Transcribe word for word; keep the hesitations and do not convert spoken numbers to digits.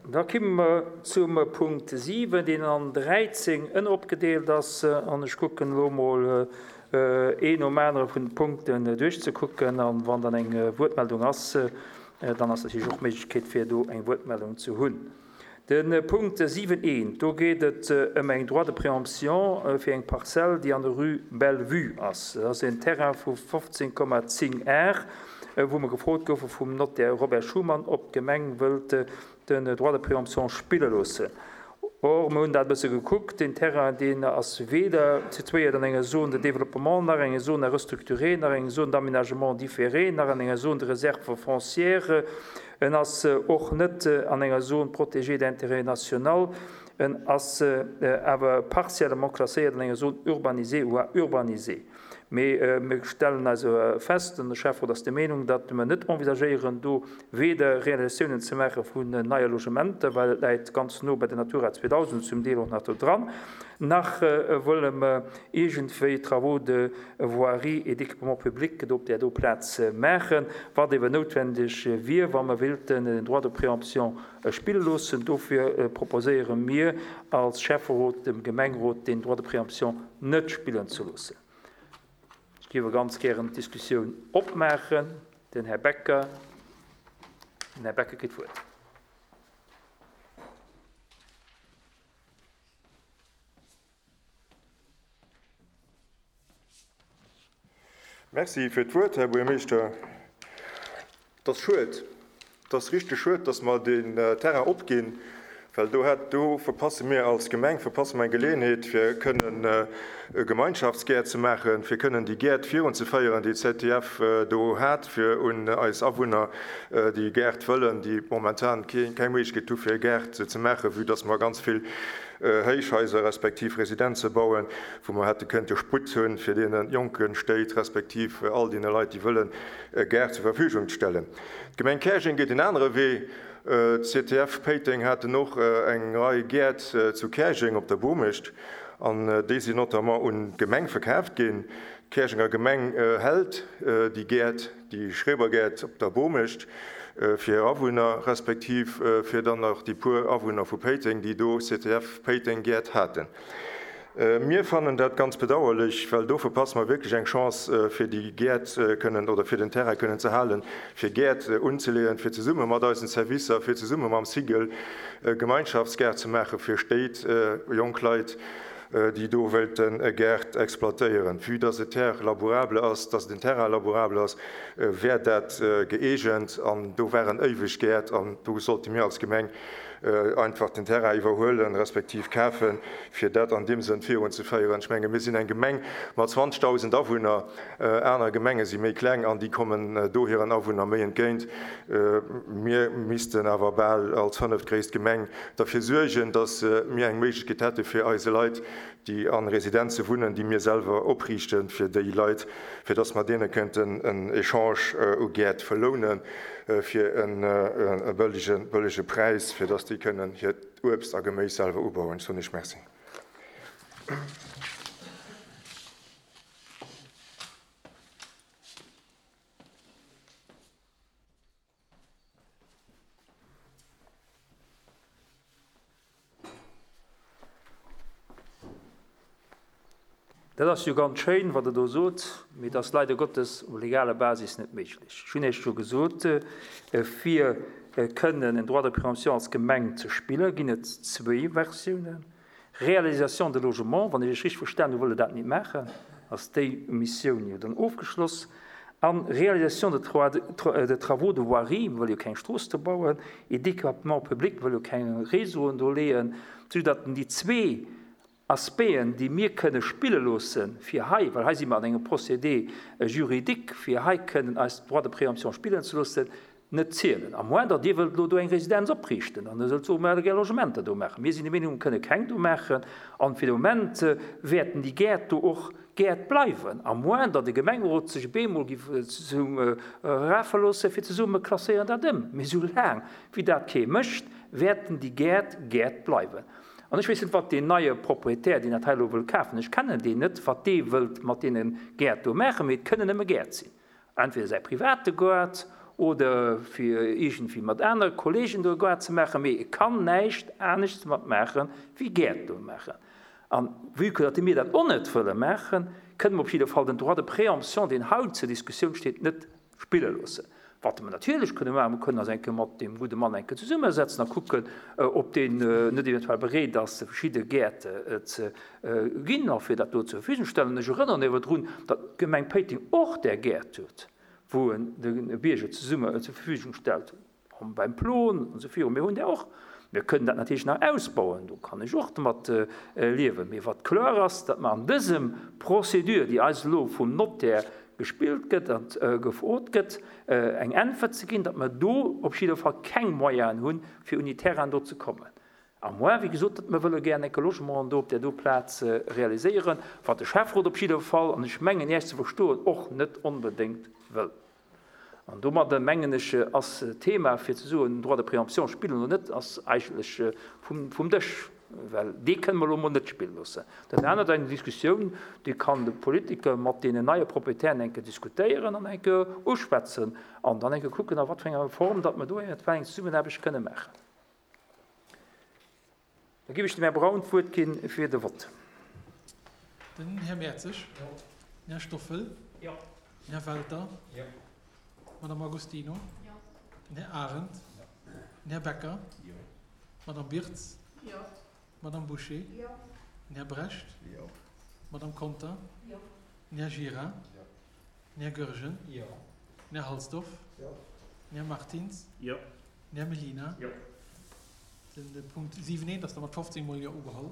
Da komme mer zum Punkt siwen, deen an dräizéng ënneropgedeelt ass. An ech kucken elo emol een nom anere vun de Punkten duerchzekucken. An wann dann eng Wuertmeldung ass, dann ass natierlech och d'Méiglechkeet, fir do eng Wuertmeldung ze hunn. De Punkt siwen eent, do geet et ëm eng Droit de préemption fir eng Parzell, déi an der Rue Bellevue ass. Dat ass en Terrain vu fofzéng Komma zéng Ar, wou mer gefrot goufe vum Notaire Robert Schuman, ob d'Gemeng wëllt den Droit de préemption spille loossen. Or, mer hunn dat e bësse gekuckt, deen Terrain, deen ass weder situéiert an enger Zone de développement, nach enger Zone à restructurer, nach enger Zone d'aménagement différé, nach an enger Zone de réserve foncière. En ass och net an enger Zone protégée d'intérêt national. En ass awer partiellement klasséiert an enger Zone urbanisée ou à urbaniser. Mee mir stellen also fest, an de Schäfferot ass der Meenung, datt mer net envisagéieren, do weder Realisatiounen ze maache vun neie Logementer, well et läit ganz no bei der Natura zweedausend, zum Deel och nach do dran, nach wëlle mer iergendwéi Travaux de voirie et d'équipement public do op där do Plaz maachen, wat eeben noutwendeg wier, wa mer wéilten den Droit de préemption spille loossen. Dofir proposéiere mir als Schäfferot dem Gemengerot, deen Droit de préemption net spillen ze loossen. Ech géif ganz gären d'Diskussioun opmaachen. Den Här Becker, den Här Becker kritt d'Wuert. Merci fir d'Wuert, Här Buergermeeschter. Et ass schued, et ass richteg schued, dass mer deen Terrain opginn, well do hätt, do verpasse mir als Gemeng, verpasse mer eng Geleeënheet, fir kënnen e Gemeinschaftsgäert ze maachen, fir kënnen déi Gäert virunzeféieren, déi d'Z D F do hat, fir un eis Awunner, déi Gäert wëllen, déi momentan keng Méiglechkeet hu fir e Gaart ze maachen, vue dass mer ganz vill Héichhaiser respektiv Residenze bauen, wou mer hätte kënnte Sputt hunn, fir deene jonke Stéit respektiv all deene Leit, déi wëllen, e Gaart zur Verfügung ze stellen. D'Gemeng Käerjeng geet en anere Wee. D'Z D F Péiteng haten och eng Rei Gäert zu Käerjeng op der Bomecht an déi sinn notamment un d'Gemeng verkaaft ginn. D'Käerjenger Gemeng hält déi Gäert, déi Schrebergäert op der Bomecht fir hir Awunner, respektiv fir dann nach déi puer Awunner vu Péiteng, déi do C T F Péiteng Gäert haten. Mir fannen dat ganz bedauerlech, well do verpasse mer wierklech eng Chance, fir déi Gäert kënnen oder fir den Terrain kënnen ze halen, fir Gäert unzeleeën, fir zesumme mat eisen Servicer, fir zesumme mam Sigel Gemeinschaftsgäert ze maache fir Stéit, jonk Leit, déi do wëllten e Gaart exploitéieren. Vue dass et Terre labourable ass, dass et en Terrain labourable ass, wär dat gëeegent an do waren éiweg Gäert an do sollte mir als Gemeng einfach den Terrain iwwerhuelen, respektiv kafen, fir dat an deem Sënn virunzeféieren. Ech menge mir sinn eng Gemeng mat zwanzegdausend Awunner, aner Gemenge si méi kleng an déi kommen do hiren Awunner méi entgéint. Mir missten awer bal als fënneftgréisst Gemeng derfir suergen, dass mir eng Méiglechkeet hätte fir eise Leit, déi an Residenze wunnen, déi mir selwer opriichten, fir déi Leit, fir dass mer deene kënnten en Echange u Gäert verlounen, fir e bëllege bëllege Präis, fir dass déi kënnen hiert Uebst a Geméis selwer ubauen. Ech soen Iech Merci. Dat ass jo ganz schéin, wat Der do sot, mee et ass leider Gottes op legaler Basis net méiglech. Ech hunn Iech scho gesot, fir kënnen en Droit de préemption als Gemeng ze spillen, ginn et zwéi Versiounen. Réalisation de logement, wann ech Iech richteg verstanen hu, wëllt Der dat net maachen, ass déi Missioun jo dann ofgeschloss. An Réalisation de de travaux de voirie, mir wëlle jo keng Strooss do bauen, et d'équipement public, mir wëlle jo keng Réseauen do leeën, soudatt déi zwee Aspecten, déi mir kënne spille loossen, fir hei, well hei si mer an engem Procédé juridique, fir hei kënnen eis Droit de préemption spillen ze loossen, net zielen. À moins datt Dir wëllt elo do eng Residenz opriichten an da sollt soen, mer wëlle gär Logementer do maachen. Mir sinn der Meenung, mir kënne keng do maachen an fir de Moment wäerten déi Gäert do och Gäert bleiwen, à moins datt de Gemengerot sech op eemol giff zesumme rafe loossen, fir ze soen, mer klasséieren dat ëm. Mee soulaang wéi dat kee mécht, wäerten déi Gäert Gäert bleiwen. An ech weess net, wat deen neie Proprietär, deen dat hei elo wëll kafen, ech kennen deen net, wat dee wëllt mat deene Gäert do maachen, mee et kënnen nëmme Gäert sinn. Entweder säi private Gaart oder fir iergendwéi mat anere Kollegen do e Gaart ze maachen, mee e kann näischt anescht mat maachen, wéi Gäert do maachen. An vue que datt mir dat och net wëlle maachen, kënne mer op jidde Fall den Droit de préemption, deen haut zur Diskussioun steet, net spille loossen. Wat mer natierlech kënne maachen, mer kënnen eis eng Kéier mat deem gudde Mann eng Kéier zesummesetzen a kucken, ob deen net eventuell bereet ass, verschidde Gäert ze ginn a fir dat do zur Verfügung stellen. Ech erënneren awer drun, datt d'Gemeng Péiteng och där Gäert huet, wou en de Bierger zesumme zur Verfügung stellt, beim Plon an esou viru. Mir hunn där och. Mir kënnen dat natierlech nach ausbauen, do kann ech och domat liewen. Mee wat kloer ass, datt mer an dësem Procédure, déi eis elo vum Notaire gespillt gëtt a gefrot gëtt, eng Äntwert ze ginn, datt mer do op jidder Fall keng Moyenen hunn, fir un déi Terrainen do ze kommen. À moins, wéi gesot, datt mer wëlle gären enke Logement do op där do Plaz realiséieren, wat de Schäfferot op jidder Fall, an ech mengen Iech ze verstoen, och net onbedéngt wëll. An domadder, mengen ech, ass d'Thema, fir ze soen, Droit de préemption spillen oder net, ass eigentlech vum Dësch, well dee kënne mer elo emol net spille loossen. Dat anert, eng Diskussioun, déi kann de Politiker mat deenen neie Proprietären eng Kéier diskutéieren an eng Kéier uschwätzen an dann eng Kéier kucken, a wat fir enger Form datt mer do eventuell eng Zesummenaarbecht kënne maachen. Da géif ech dem Här Braun d'Wuert gi fir de Vott. Den Här Mertzig. Jo. Den Här Stoffel. Jo. Den Här Welter. Jo. D'Madame Agostino. Jo. Den Här Arendt. Jo. Den Här Becker. Jo. D'Madame Birtz. Jo. D'Madame Bouché. Jo. Den Här Brecht. Jo. D'Madame Conter. Jo. Den Här Gira. Jo. Den Här Goergen. Jo. Den Här Halsdorf. Jo. Den Här Martins. Jo. Den Här Mellina. Jo. Den Punkt siwen eent ass da mat fofzéng mol Jo ugeholl.